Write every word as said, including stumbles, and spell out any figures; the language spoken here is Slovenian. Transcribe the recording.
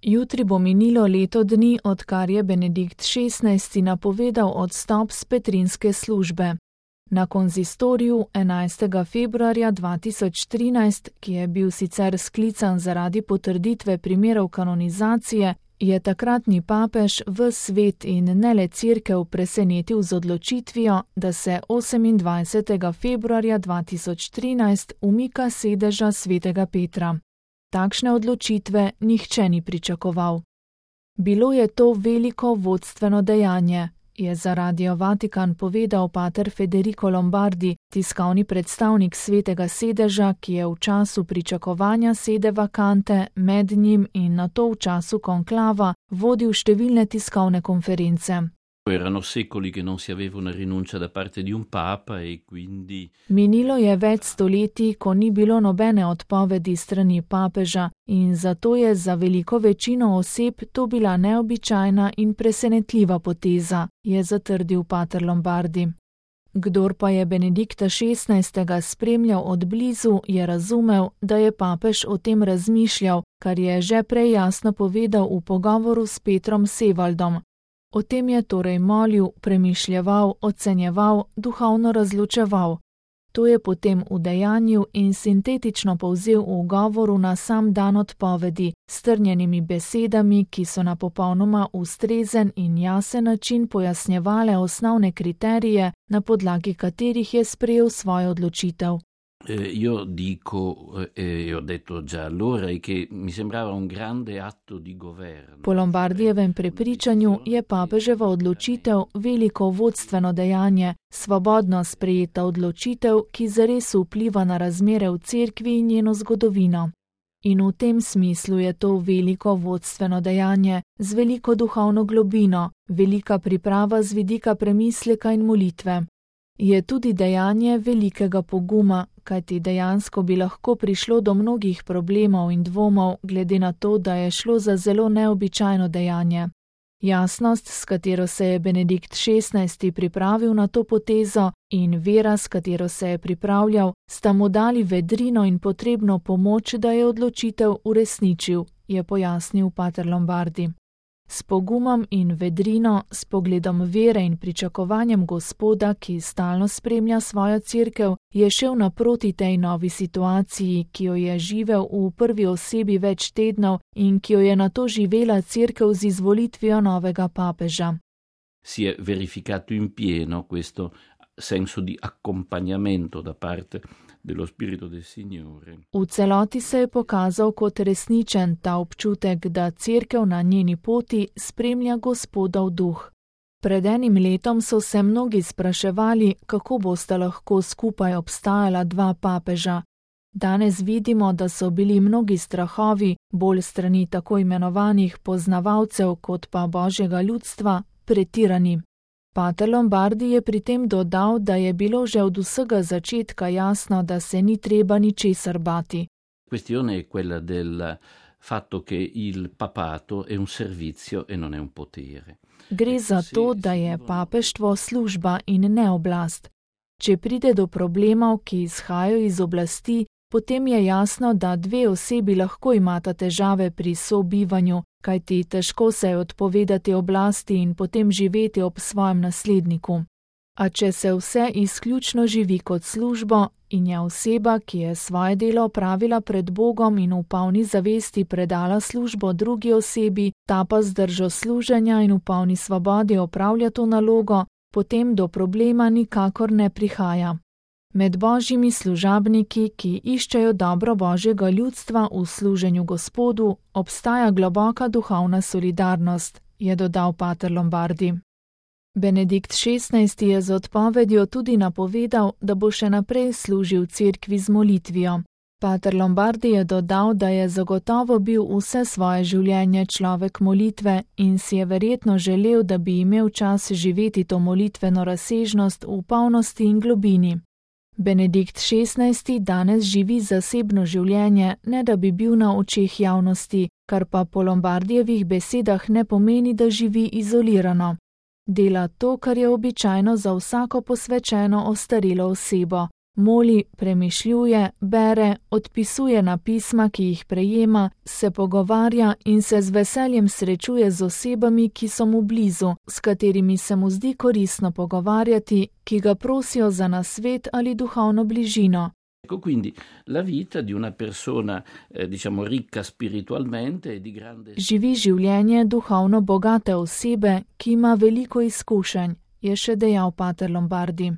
Jutri bo minilo leto dni, odkar je Benedikt šestnajsti napovedal odstop s petrinske službe. Na konzistoriju enajstega februarja dva tisoč trinajst, ki je bil sicer sklican zaradi potrditve primerov kanonizacije, je takratni papež ves svet in ne le cerkev presenetil z odločitvijo, da se osemindvajsetega februarja dva tisoč trinajst umika sedeža svetega Petra. Takšne odločitve nihče ni pričakoval. Bilo je to veliko vodstveno dejanje, je za Radio Vatikan povedal pater Federico Lombardi, tiskovni predstavnik svetega sedeža, ki je v času pričakovanja sede vakante med njim in nato v času konklava vodil številne tiskovne konference. Erano secoli che non si aveva una rinuncia da parte di un papa e quindi... Minilo je več stoletij, ko ni bilo nobene odpovedi strani papeža in zato je za veliko večino oseb to bila neobičajna in presenetljiva poteza, je zatrdil pater Lombardi. Kdor pa je Benedikta šestnajstega spremljal od blizu, je razumel, da je papež o tem razmišljal, kar je že prej jasno povedal v pogovoru s Petrom Sevaldom. O tem je torej molil, premišljeval, ocenjeval, duhovno razločeval. To je potem udejanjil in sintetično povzel v govoru na sam dan odpovedi, s strnjenimi besedami, ki so na popolnoma ustrezen in jasen način pojasnjevale osnovne kriterije, na podlagi katerih je sprejel svojo odločitev. Eh, io dico, e eh, ho detto già allora, che mi sembrava un grande atto di governo. Po Lombardijevem prepričanju je papeževa odločitev veliko vodstveno dejanje, svobodno sprejeta odločitev, ki zares vpliva na razmere v cerkvi in njeno zgodovino. In v tem smislu je to veliko vodstveno dejanje, z veliko duhovno globino, velika priprava z vidika premisleka in molitve. Je tudi dejanje velikega poguma, kajti dejansko bi lahko prišlo do mnogih problemov in dvomov, glede na to, da je šlo za zelo neobičajno dejanje. Jasnost, s katero se je Benedikt šestnajsti pripravil na to potezo, in vera, s katero se je pripravljal, sta mu dali vedrino in potrebno pomoč, da je odločitev uresničil, je pojasnil pater Lombardi. S pogumom in vedrino, s pogledom vere in pričakovanjem Gospoda, ki stalno spremlja svojo cerkev, je šel naproti tej novi situaciji, ki jo je živel v prvi osebi več tednov in ki jo je nato živela cerkev z izvolitvijo novega papeža. Si je verificato in pieno questo senso di accompagnamento da parte dello Spirito del Signore. V celoti se je pokazal kot resničen ta občutek, da cerkev na njeni poti spremlja Gospodov duh. Pred enim letom so se mnogi spraševali, kako bosta lahko skupaj obstajala dva papeža. Danes vidimo, da so bili mnogi strahovi, bolj strani tako imenovanih poznavalcev kot pa Božjega ljudstva, pretirani. Pater Lombardi je pri tem dodal, da je bilo že od vsega začetka jasno, da se ni treba ničesar bati. Questione è quella del fatto che il papato è un servizio e non è un potere. Gre za to, da je papeštvo služba in ne oblast. Če pride do problemov, ki izhajajo iz oblasti, potem je jasno, da dve osebi lahko imata težave pri sobivanju, kajti težko se je odpovedati oblasti in potem živeti ob svojem nasledniku. A če se vse izključno živi kot službo in je oseba, ki je svoje delo opravila pred Bogom in v polni zavesti predala službo drugi osebi, ta pa z držo služenja in v polni svobodi opravlja to nalogo, potem do problema nikakor ne prihaja. Med božjimi služabniki, ki iščejo dobro Božjega ljudstva v služenju Gospodu, obstaja globoka duhovna solidarnost, je dodal pater Lombardi. Benedikt šestnajsti je z odpovedjo tudi napovedal, da bo še naprej služil cerkvi z molitvijo. Pater Lombardi je dodal, da je zagotovo bil vse svoje življenje človek molitve in si je verjetno želel, da bi imel čas živeti to molitveno razsežnost v polnosti in globini. Benedikt šestnajsti danes živi zasebno življenje, ne da bi bil na očeh javnosti, kar pa po Lombardijevih besedah ne pomeni, da živi izolirano. Dela to, kar je običajno za vsako posvečeno ostarelo osebo, Moli, premišljuje, bere, odpisuje na pisma, ki jih prejema, se pogovarja in se z veseljem srečuje z osebami, ki so mu blizu, s katerimi se mu zdi koristno pogovarjati, ki ga prosijo za nasvet ali duhovno bližino. Quindi la vita di una persona, eh, diciamo, ricca spiritualmente e di grande... Živi življenje duhovno bogate osebe, ki ima veliko izkušenj, je še dejal pater Lombardi.